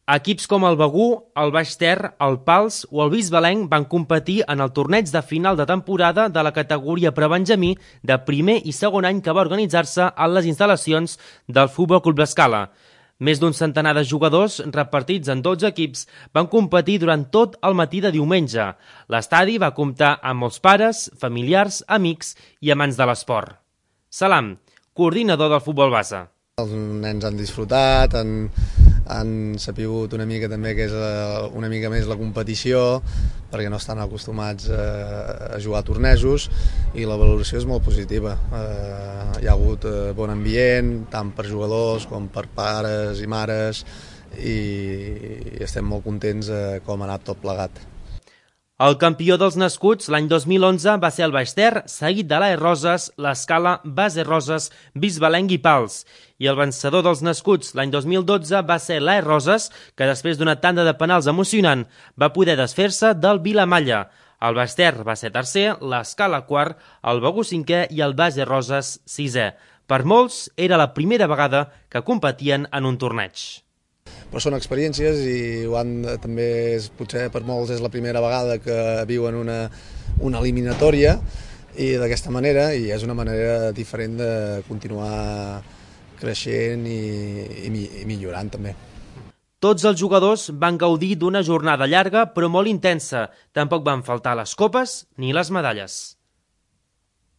Equips com el Begur, el Baix Ter, el Pals o el Bisbalenc van competir en el torneig de final de temporada de la categoria prebenjamí de primer i segon any que va organitzar-se a les instal·lacions del Futbol Club L'Escala. Més d'un centenar de jugadors, repartits en 12 equips, van competir durant tot el matí de diumenge. L'estadi va comptar amb molts pares, familiars, amics i amants de l'esport. Salam, coordinador del futbol base. Els nens han disfrutat, han sapigut una mica també que és una mica més la competició, perquè no estan acostumats a jugar a tornejos, i la valoració és molt positiva. Hi ha hagut bon ambient, tant per jugadors com per pares i mares, i estem molt contents com ha anat tot plegat. El campió dels nascuts l'any 2011 va ser el Baix Ter, seguit de l'AE Roses, l'Escala, Base Roses, Bisbalenc i Pals. I el vencedor dels nascuts l'any 2012 va ser l'AE Roses, que després d'una tanda de penals emocionant va poder desfer-se del Vilamalla. El Baix Ter va ser tercer, l'Escala quart, el Begur cinquè i el Base Roses sisè. Per molts era la primera vegada que competien en un torneig. Però són experiències i també potser per molts és la primera vegada que viuen una eliminatòria, i d'aquesta manera, i és una manera diferent de continuar creixent i millorant també. Tots els jugadors van gaudir d'una jornada llarga però molt intensa. Tampoc van faltar les copes ni les medalles.